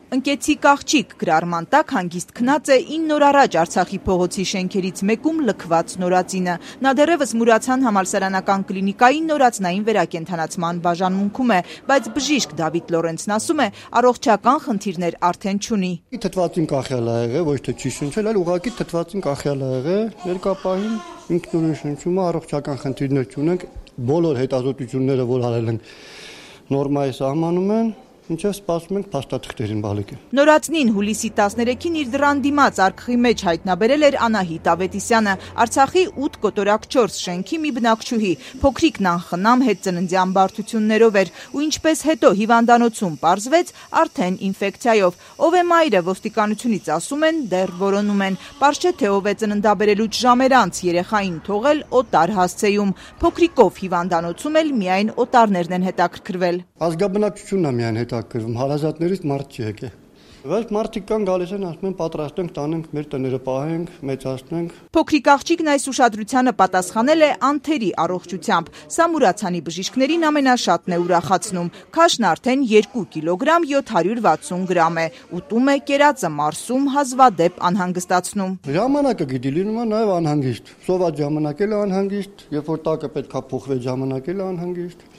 Ընկեցիկ աղջիկ գրառման տակ հանգիստ քնած է 9 օր առաջ Արցախի փողոցի շենքերից մեկում լքված նորածինը։ Նա դեռևս Մուրացյան համալսարանական կլինիկայի նորածնային վերակենդանացման բաժանմունքում է, բայց բժիշկ Դավիթ Լորենցն ասում է, առողջական խնդիրներ արդեն չունի։ Թթվածին կախյալ ա եղել, ոչ թե չի շնչել, այլ ուղղակի թթվածին կախյալ ա եղել, երկապահին ինքնուրույն շնչում է, առողջական խնդիրներ չունենք, բոլոր հետազոտությունները, որ արել են նորմայի սահմանում են, ինչեւ սպասում ենք փաստաթղթերին բալիկը։ Նորածնին հուլիսի 13-ին իր դռան դիմաց արքխի մեջ հայտնաբերել էր Անահիտ Ավետիսյանը, Արցախի 8 կոտորակ 4 շենքի մի բնակչուհի, փոքրիկն անխնամ հետծննդյան բարդություններով էր, ու ինչպես հետո հիվանդանոցում պարզվեց, արդեն ինֆեկցիայով։ Ով է մայրը, ոստիկանությունից ասում են, դեռ որոնում են։ Պարզ չէ, թե ով է ծննդաբերելուց ժամեր անց երեխային թողել օտար հասցեում։ Փոքրիկով հիվանդանոցում էլ միայն օտարներն են հետաքրքրվել։ Ազգաբնակչությունն է միայն հետաքրքրվում, հարազատներից մարդ չի եկել։ Բայց մարդիկ կան գալիս են, ասում են պատրաստենք, տանենք, մեր տները պահենք, մեծացնենք։ Փոքրիկ աղջիկն այս ուշադրությանը պատասխանել է անթերի առողջությամբ։ Սա Մուրացյանի բժիշկներին ամենաշատն է ուրախացնում։ Քաշն արդեն 2 կիլոգրամ 760 գրամ է։ Ուտում է, կերածը մարսում, հազվադեպ անհանգստացնում։ Ժամանակը գիտի լինում է նաև անհանգիստ։ Սոված ժամանակ էլ անհանգիստ, երբ որ տակը պետքա փոխվի ժամանակ էլ անհանգիստ։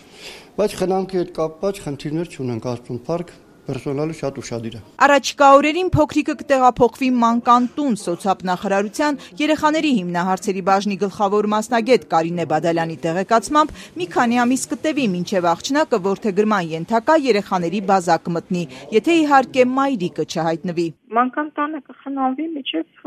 Բայց խնամքի հետ կապված խնդիրներ չունենք, Աստծուն փառք, պերսոնալը շատ ուշադիր է։ Առաջիկա օրերին փոքրիկը կտեղափոխվի մանկան տուն սոցիալ-նախարարության երեխաների հիմնահարցերի բաժնի գլխավոր մասնագետ Կարինե Բադալյանի տեղեկացմամբ մի քանի ամիս կտևի մինչև աղջնակը որդեգրման ենթակա երեխաների բազա կմտնի, եթե իհարկե մայրիկը չհայտնվի։ Մանկան տանը կխնամվի մինչև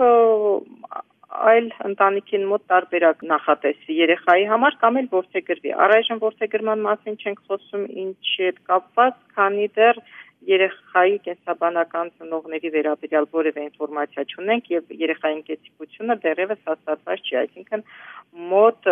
այլ ընտանիքին մոտ տարբերակ նախատեսվի երեխայի համար կամ էլ որդեգրվի։ Առայժմ որդեգրման մասին չենք խոսում ինչի հետ կապված, քանի դեռ երեխայի կենսաբանական ծնողների վերաբերյալ որևէ ինֆորմացիա չունենք եւ երեխայի ընկեցիկությունը դեռևս հաստատված չի, այսինքն մոտ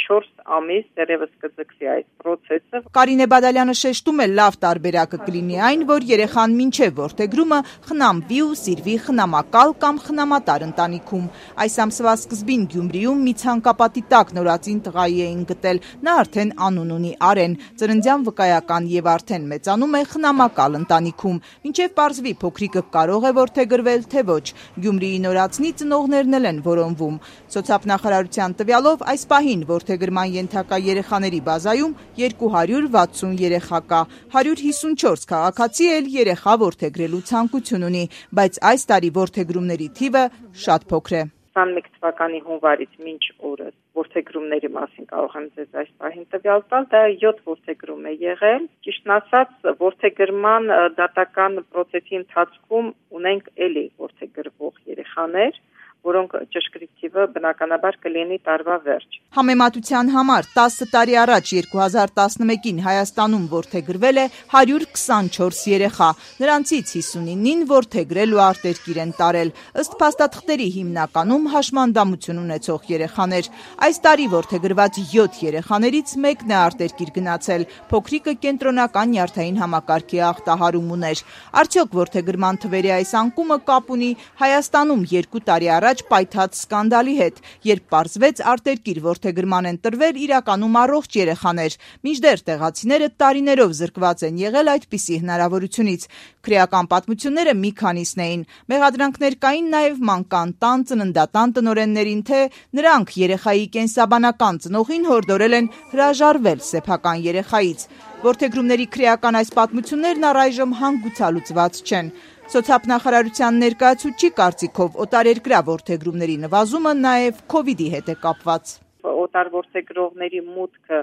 4 ամիս դեռևս կձգվի այս process-ը։ Կարինե Բադալյանը շեշտում է, լավ տարբերակը կլինի այն, որ երեխան մինչև որդեգրումը խնամվի ու սիրվի խնամակալ կամ խնամատար ընտանիքում։ Այս ամսվա սկզբին Գյումրիում մի ցանկապատի տակ նորածին տղայի էին գտել, նա արդեն անուն ունի Արեն, ծննդյան վկայական եւ արդեն մեծանում է խնամակալ ընտանիքում, մինչև պարզվի փոքրիկը կարող է որդեգրվել, թե ոչ։ Գյումրիի նորածնի ծնողներն էլ են որոնվում։ Սոցիալ-նախարարության տվյալով այս պահին որդեգրման ենթակա երեխաների բազայում 260 երեխա կա, 154 քաղաքացի էլ երեխա որդեգրելու ցանկություն ունի, բայց այս տարի որդեգրումների թիվը շատ փոքր է։ 21 թվականի հունվարից մինչ օրս որդեգրումների մասին կարող եմ ձեզ այս պահին տվյալ տալ, դա 7 որդեգրում է եղել։ Ճիշտն ասած, որդեգրման դատական process-ի ընթացքում ունենք էլի որդեգրվող երեխաներ, որոնք ճշգրիտ թիվը բնականաբար կլինի տարվա վերջ։ Համեմատության համար 10 տարի առաջ 2011-ին Հայաստանում որդեգրվել է 124 երեխա, նրանցից 59-ին որդեգրել ու արտերկիր են տարել, ըստ փաստաթղթերի հիմնականում հաշմանդամություն ունեցող երեխաներ։ Այս տարի որդեգրված 7 երեխաներից մեկն է արտերկիր գնացել, փոքրիկը կենտրոնական նյարդային համակարգի ախտահարում ուներ։ Արդյոք որդեգրման թվերի այս անկումը կապ ունի Հայաստանում 2 տարի առաջ պայթած սկանդալի հետ, երբ պարզվեց արտերկիր որդեգրման են տրվել իրականում առողջ երեխաներ, մինչդեռ տեղացիները տարիներով զրկված են եղել այդպիսի հնարավորությունից։ Քրեական պատմությունները մի քանիսն էին։ Մեղադրանքներ կային նաև մանկան տան ծննդատան տնօրեններին, թե նրանք երեխայի կենսաբանական ծնողին հորդորել են հրաժարվել սեփական երեխայից։ Որդեգրումների քրեական այս պատմություններն առայժմ հանգուցալուծված չեն։ Սոցիալ-նախարարության ներկայացուցչի կարծիքով օտարերկրյա որդեգրումների նվազումը նաև COVID-ի հետ է կապված։ Օտար որդեգրողների մուտքը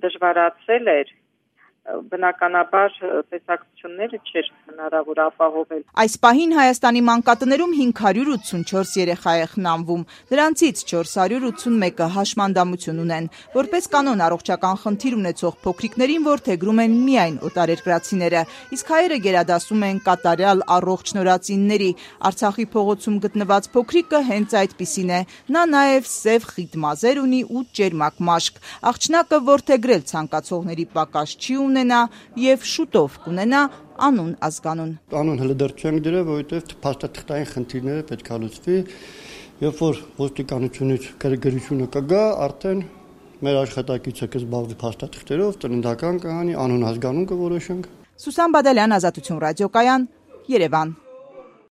դժվարացել էր, բնականաբար տեսակցությունները չէր հնարավոր ապահովել։ Այս պահին Հայաստանի մանկատներում 584 երեխա է խնամվում, նրանցից 481-ը հաշմանդամություն ունեն։ Որպես կանոն առողջական խնդիր ունեցող փոքրիկներին որդեգրում են միայն օտարերկրացիները, իսկ հայերը գերադասում են կատարյալ առողջ նորածինների։ Արցախի փողոցում գտնված փոքրիկը հենց այդպիսին է։ Նա նաև սև խիտ մազեր ունի ու ճերմակ մաշկ։ Աղջնակը որդեգրել ցանկացողների պակաս չի ունենա եւ շուտով կունենա անուն ազգանուն։ Անուն հələ դեռ չենք դրել, որովհետեւ փաստաթղթային խնդիրները պետք է լուծվի։ Երբ որ ոստիկանությունից գրգռությունը կգա, արդեն մեր աշխատակիցը կզբաղվի փաստաթղթերով, ծննդական կհանի, անուն ազգանուն կորոշենք։ Սուսան Բադալյան, Ազատություն ռադիոկայան, Երևան։